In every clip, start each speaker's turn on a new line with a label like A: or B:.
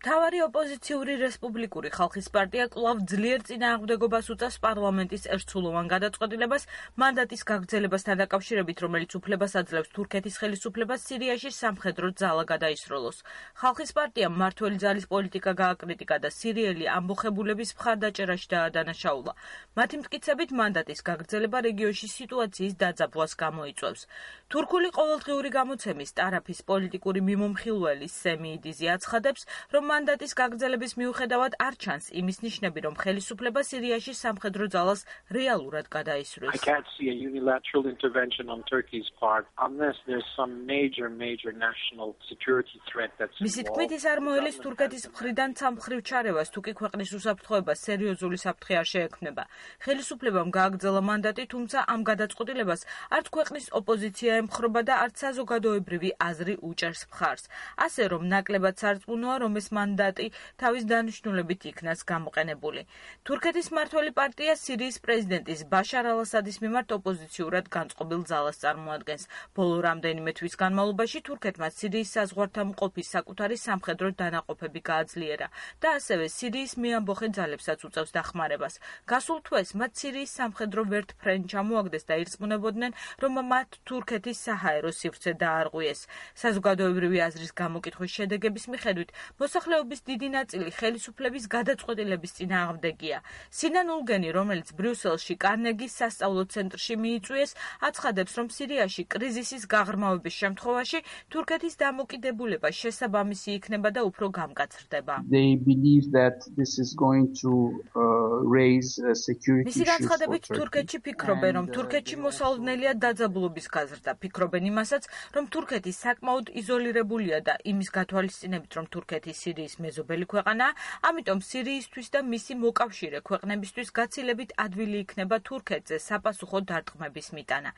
A: მთავარი ოპოზიციური რესპუბლიკური ხალხის პარტია კვლავ ძლიერ წინააღმდეგობას უწევს პარლამენტის ერთსულოვან გადაწყვეტილებას მანდატის გაგრძელებასთან დაკავშირებით, რომელიც უფლებას აძლევს თურქეთის ხელისუფლებას სირიაში სამხედრო ძალა გადაისროლოს. ხალხის პარტიამ მმართველი ძალის პოლიტიკა გააკრიტიკა და სირიელი ამბოხებულების მხარდაჭერაში დაადანაშაულა. მათი მტკიცებით მანდატის გაგრძელება რეგიონში სიტუაციის დაძაბვას გამოიწვევს. თურქული ყოველდღიური გამოცემის ტარაფის პოლიტიკური მიმომხილველი სემი იდიზი აცხადებს, რომ მანდატის გაგრძელების მიუხედავად არ ჩანს იმის ნიშნები, რომ ხელისუფლება სირიაში სამხედრო ძალას რეალურად გადაისვრის.
B: I can't see a unilateral intervention on Turkey's part unless there's some major national security threat that's
A: მისი თქმით, ის არ მოელის თურქეთის მხრიდან ცალმხრივ ჩარევას, თუ კი ქვეყნის უსაფრთხოებას სერიოზული საფრთხე არ შეექმნება. ხელისუფლებამ გააგრძელა მანდატი, თუმცა ამ გადაწყვეტილებას არც ქვეყნის ოპოზიცია ემხრობა და არც საზოგადოებრივი აზრი უჭერს მხარს. ასე რომ ნაკლებად სარწმუნოა, რომ ეს მანდატი თავის დანიშნულებით იქნას გამოყენებული. თურქეთის მმართველი პარტია სირიის პრეზიდენტის ბაშარ ალ-ასადის მიმართ ოპოზიციურად განწყობილ ძალას წარმოადგენს. ბოლო რამდენიმე თვის განმავლობაში თურქეთმა სირიის საზღვართან მყოფი საკუთარი სამხედრო დანაყოფები გააძლიერა და ასევე სირიის მეამბოხე ძალებსაც უწევს დახმარებას. გასულ თვეს მათ სირიის სამხედრო ვერტფრენი ჩამოაგდეს და ირწმუნებოდნენ, რომ მათ თურქეთის საჰაერო სივრცე დაარღვიეს. საზოგადოებრივი აზრის გამოკითხვის შედეგების მიხედვით მოსახლეობის დიდი ნაწილი ხელისუფლების გადაწყვეტილების წინააღმდეგია. სინან ულგენი, რომელიც ბრიუსელში კარნეგის სასწავლო ცენტრში მიიწვიეს, აცხადებს, რომ სირიაში კრიზისის გაღრმავების შემთხვევაში თურქეთის დამოკიდებულება შესაბამისი იქნება და უფრო გამკაცრდება.
C: They believe that this is going to raise security
A: მისი განცხადებით, თურქეთში ფიქრობენ, რომ თურქეთში მოსალოდნელია დაძაბულობის გაზრდა. ფიქრობენ იმასაც, რომ თურქეთი საკმაოდ იზოლირებულია და იმის გათვალისწინებით, რომ თურქეთი სირიის მეზობელი ქვეყანაა, ამიტომ სირიისთვის და მისი მოკავშირე ქვეყნებისთვის გაცილებით ადვილი იქნება თურქეთზე საპასუხო დარტყმების მიტანა.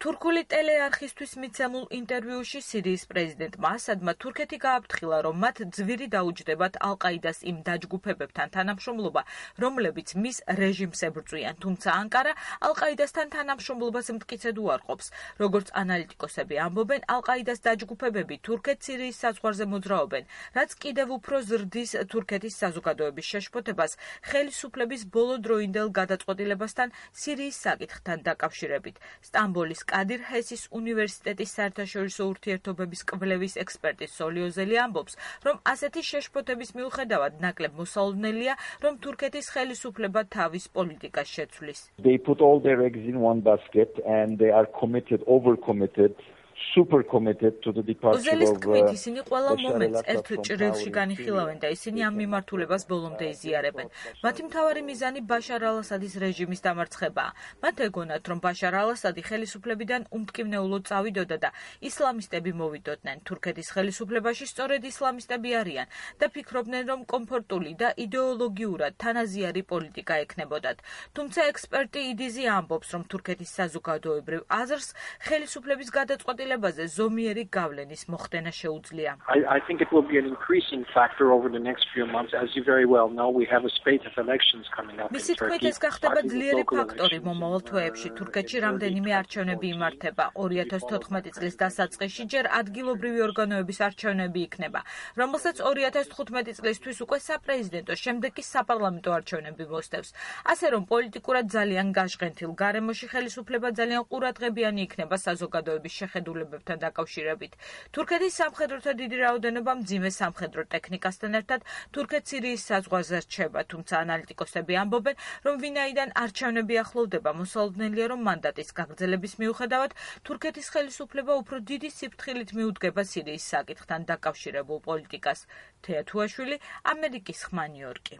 A: თურქული ტელეარხისთვის მიცემულ ინტერვიუში სირიის პრეზიდენტმა ასადმა თურქეთი გააფრთხილა, რომ მათ ძვირი დაუჯდებათ ალ-ყაიდას იმ დაჯგუფებებთან თანამშრომლობა, რომლებიც მის რეჟიმს ებრძვიან, თუმცა ანკარა ალ-ყაიდასთან თანამშრომლობას მტკიცედ უარყოფს. როგორც ანალიტიკოსები ამბობენ, ალ-ყაიდას დაჯგუფებები თურქეთ-სირიის საზღვარზე მოძრაობენ, რაც კიდევ უფრო ზრდის თურქეთის საზოგადოების შეშფოთებას ხელისუფლების ბოლოდროინდელ გადაწყვეტილებასთან სირიის საკითხთან დაკავშირებით. სტამბოლის კადირ ჰესის უნივერსიტეტის საერთაშორისო ურთიერთობების კვლევის ექსპერტი სოლიოზელი ამბობს, რომ ასეთი შეშფოთების მიუხედავად ნაკლებ მოსალოდნელია, რომ თურქეთის ხელისუფლება თავის პოლიტიკას შეცვლის.
D: They put all their eggs in one basket and they are overcommitted. Super committed to the departure
A: ოზელის თქმით,
D: of
A: ისინი ყველა მომენტს ერთ ჭრილში განიხილავენ და ისინი ამ მიმართულებას ბოლომდე იზიარებენ. მათი მთავარი მიზანი ბაშარ ალ-ასადის რეჟიმის დამარცხებაა. მათ ეგონათ, რომ ბაშარ ალ-ასადი ხელისუფლებიდან უმტკივნეულოდ წავიდოდა და ისლამისტები მოვიდოდნენ. თურქეთის ხელისუფლებაში სწორედ ისლამისტები არიან და ფიქრობდნენ, რომ კომფორტული და იდეოლოგიურად თანაზიარი პოლიტიკა ექნებოდათ. თუმცა ექსპერტი იდიზი ამბობს, რომ თურქეთის საზოგადოებრივ აზრს ხელისუფლების გადაწყვეტილება ზომიერი გავლენის მოხდენა შეუძლია.
B: I think it will be an increasing factor over the next few months. As you very well know, we have a spate of elections coming up in
A: მისი თქმით,
B: Turkey.
A: ეს გახდება ძლიერი ფაქტორი მომავალ თვეებში. თურქეთში რამდენიმე არჩევნები იმართება. 2014 წლის დასაწყისში ჯერ ადგილობრივი ორგანოების არჩევნები იქნება, რომელსაც 2015 წლისთვის უკვე საპრეზიდენტო, შემდეგ კი საპარლამენტო არჩევნები მოსდევს. ასე რომ პოლიტიკურად ძალიან გაშღენთილ გარემოში ხელისუფლება ძალიან ყურადღებიანი იქნება საზოგადოების შეხედულებებთან დაკავშირებით. თურქეთის სამხედროთა დიდი რაოდენობა მძიმე სამხედრო ტექნიკასთან ერთად თურქეთ-სირიის საზღვარზე რჩება, თუმცა ანალიტიკოსები ამბობენ, რომ ვინაიდან არჩევნები ახლოვდება, მოსალოდნელია, რომ მანდატის გაგრძელების მიუხედავად თურქეთის ხელისუფლება უფრო დიდი სიფრთხილით მიუდგება სირიის საკითხთან დაკავშირებულ პოლიტიკას. თეა თუაშვილი, ამერიკის ხმა, ნიუ-იორკი.